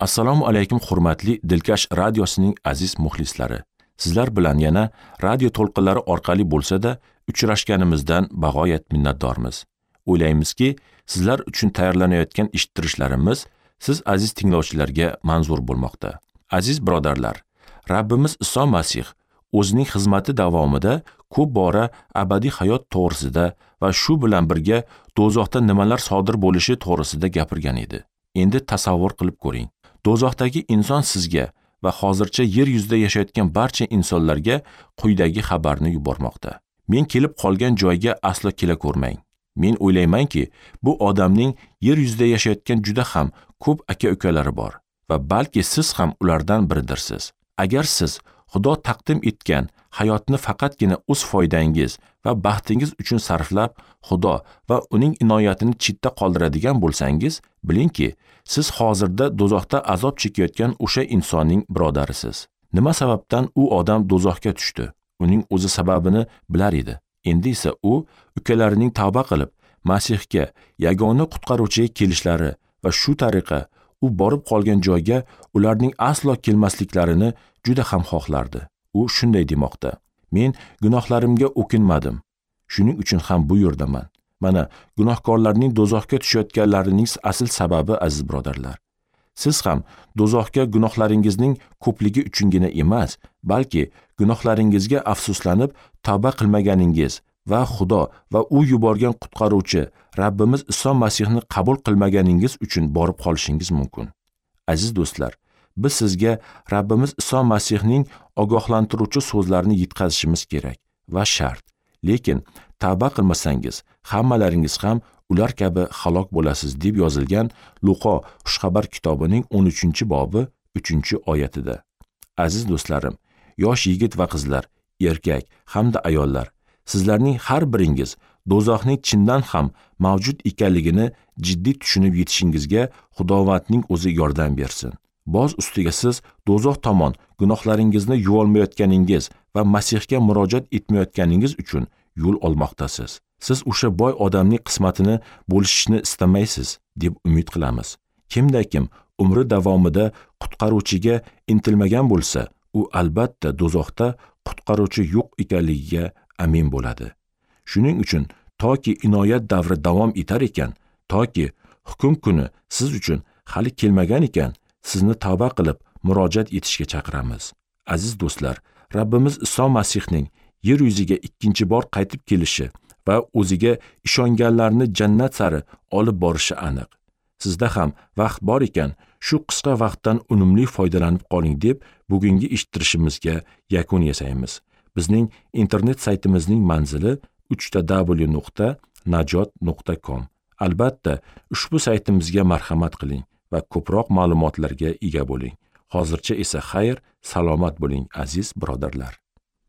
Assalomu alaykum hurmatli Dilkash radiosining aziz muxlislari. Sizlar bilan yana radio to'lqinlari orqali bo'lsa-da uchrashganimizdan bag'oyat minnatdormiz. O'ylaymizki, sizlar uchun tayyorlanayotgan eshittirishlarimiz siz aziz tinglovchilarga manzur bo'lmoqda. Aziz birodarlar, Rabbimiz Iso Masih o'zining xizmati davomida ko'p bora abadiy hayot to'g'risida va shu bilan birga do'zaxda nimalar sodir bo'lishi to'g'risida gapirgan edi. Endi tasavvur qilib ko'ring. Do'zaxdagi inson sizga va hozircha yer yuzida yashayotgan barcha insonlarga quyidagi xabarni yubormoqda. Men kelib qolgan joyga aslo kela ko'rmang. Men o'ylaymanki, bu odamning yer yuzida yashayotgan juda ham ko'p aka-ukalari bor va balki siz ham ulardan biridirsiz. Agar siz Xudo taqdim etgan hayotni faqatgina o'z foydangiz va baxtingiz uchun sarflab, Xudo va uning inoyatini chetda qoldiradigan bo'lsangiz, bilingki, siz hozirda do'zaxda azob chekayotgan o'sha insonning birodarisiz. Nima sababdan u odam do'zaxga tushdi? Uning o'zi sababini bilar edi. Endi esa u ukalarining tavba qilib, Masihga, yagona qutqaruvchiga kelishlari va shu tariqa u borib qolgan joyga ularning aslo kelmasliklarini juda ham xohlardi. U shunday demoqda: Men gunohlarimga o'kinmadim. Shuning uchun ham bu yerdaman. Mana gunohkorlarning do'zaxga tushayotganlarining asl sababi, aziz birodarlar. Siz ham do'zaxga gunohlaringizning ko'pligi uchungina emas, balki gunohlaringizga afsuslanib tavba qilmaganingiz va Xudo va u yuborgan qutqaruvchi Rabbimiz Iso Masihni qabul qilmaganingiz uchun borib qolishingiz mumkin. Aziz do'stlar, biz sizga Rabbimiz Iso Masihning ogohlantiruvchi so'zlarini yetkazishimiz kerak va shart. Lekin tavba qilmasangiz, hammalaringiz ham ular kabi halok bo'lasiz deb yozilgan Luqo Xushxabar kitobining 13-bobi 3-oyatida. Aziz do'stlarim, yosh yigit va qizlar, erkak hamda ayollar, sizlarning har biringiz do'zaxning chindan ham mavjud ekanligini jiddiy tushunib yetishingizga Xudovandning o'zi yordam bersin. Boz ustiga siz do'zax tomon gunohlaringizni yuvolmayotganingiz va Masihga murojaat etmayotganingiz uchun yo'l olmoqdasiz. Siz o'sha boy odamning qismatini bo'lishishni istamaysiz deb umid qilamiz. Kimda-kim umri davomida qutqaruvchiga intilmagan bo'lsa, u albatta do'zaxda qutqaruvchi yo'q ekanligiga amin bo'ladi. Shuning uchun toki inoyat davri davom etar ekan, toki hukm kuni siz uchun hali kelmagan ekan, sizni tavba qilib murojaat etishga chaqiramiz. Aziz do'stlar, Rabbimiz Iso Masihning yer yuziga ikkinchi bor qaytib kelishi va o'ziga ishonganlarni jannat sari olib borishi aniq. Sizda ham vaqt bor ekan, shu qisqa vaqtdan unumli foydalanib qoling deb bugungi eshittirishimizga yakun yasaymiz. Bizning internet saytimizning manzili www.najot.com. Albatta, ushbu saytimizga marhamat qiling va ko'proq ma'lumotlarga ega bo'ling. Hozircha esa xayr, salomat bo'ling aziz birodarlar.